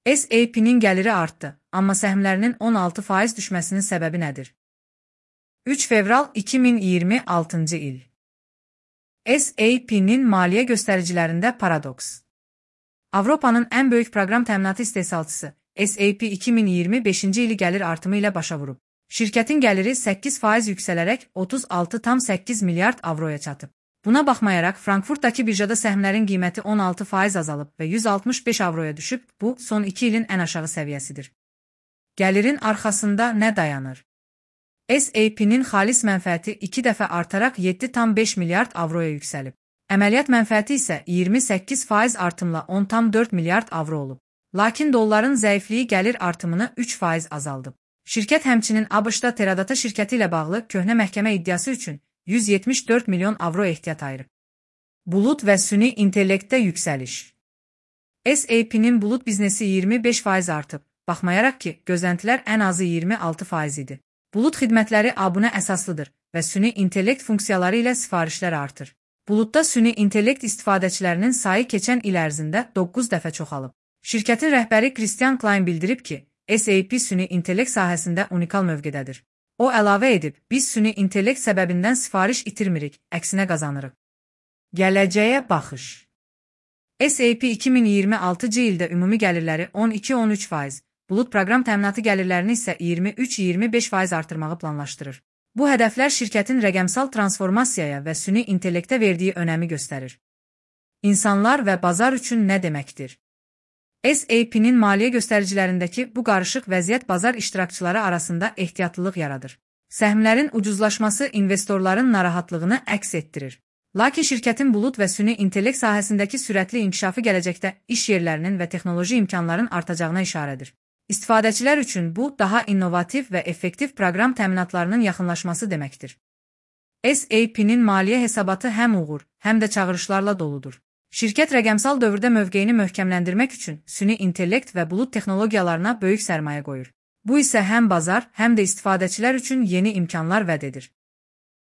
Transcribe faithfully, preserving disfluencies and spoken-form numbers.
S A P'nin gəliri artdı, amma səhmlərinin on altı faiz düşməsinin səbəbi nədir? üç fevral iki min iyirmi altıncı il. S A P'nin maliyyə göstəricilərində paradoks. Avropanın ən böyük proqram təminatı istehsalçısı S A P iki min iyirmi beşinci ili gəlir artımı ilə başa vurub. Şirkətin gəliri səkkiz faiz yüksələrək otuz altı tam səkkiz milyard avroya çatıb. Buna baxmayaraq, Frankfurtdakı birjada səhmlərin qiyməti on altı faiz azalıb və yüz altmış beş avroya düşüb, bu, son iki ilin ən aşağı səviyyəsidir. Gəlirin arxasında nə dayanır? S A P'nin xalis mənfəəti iki dəfə artaraq yeddi tam beş milyard avroya yüksəlib. Əməliyyat mənfəəti isə iyirmi səkkiz faiz artımla on tam dörd milyard avro olub. Lakin dolların zəifliyi gəlir artımını üç faiz azaldıb. Şirkət həmçinin ABŞ-da Teradata şirkəti ilə bağlı köhnə məhkəmə iddiası üçün yüz yetmiş dörd milyon avro ehtiyat ayırıb. Bulut və süni intellektdə yüksəliş. S A P'nin bulut biznesi iyirmi beş faiz artıb, baxmayaraq ki, gözləntilər ən azı iyirmi altı faiz idi. Bulut xidmətləri abunə əsaslıdır və süni intellekt funksiyaları ilə sifarişlər artır. Bulutda süni intellekt istifadəçilərinin sayı keçən il ərzində doqquz dəfə çoxalıb. Şirkətin rəhbəri Christian Klein bildirib ki, S A P süni intellekt sahəsində unikal mövqedədir. O əlavə edib, biz süni intellekt səbəbindən sifariş itirmirik, əksinə qazanırıq. Gələcəyə baxış. S A P iki min iyirmi altıncı ildə ümumi gəlirləri on iki on üç faiz, bulut proqram təminatı gəlirlərini isə iyirmi üç iyirmi beş faiz artırmağı planlaşdırır. Bu hədəflər şirkətin rəqəmsal transformasiyaya və süni intellektə verdiyi önəmi göstərir. İnsanlar və bazar üçün nə deməkdir? S A P'nin maliyyə göstəricilərindəki bu qarışıq vəziyyət bazar iştirakçıları arasında ehtiyatlılıq yaradır. Səhmlərin ucuzlaşması investorların narahatlığını əks etdirir. Lakin şirkətin bulut və süni intellekt sahəsindəki sürətli inkişafı gələcəkdə iş yerlərinin və texnoloji imkanların artacağına işarədir. İstifadəçilər üçün bu, daha innovativ və effektiv proqram təminatlarının yaxınlaşması deməkdir. S A P'nin maliyyə hesabatı həm uğur, həm də çağırışlarla doludur. Şirkət rəqəmsal dövrdə mövqeyini möhkəmləndirmək üçün süni intellekt və bulut texnologiyalarına böyük sərmayə qoyur. Bu isə həm bazar, həm də istifadəçilər üçün yeni imkanlar vəd edir.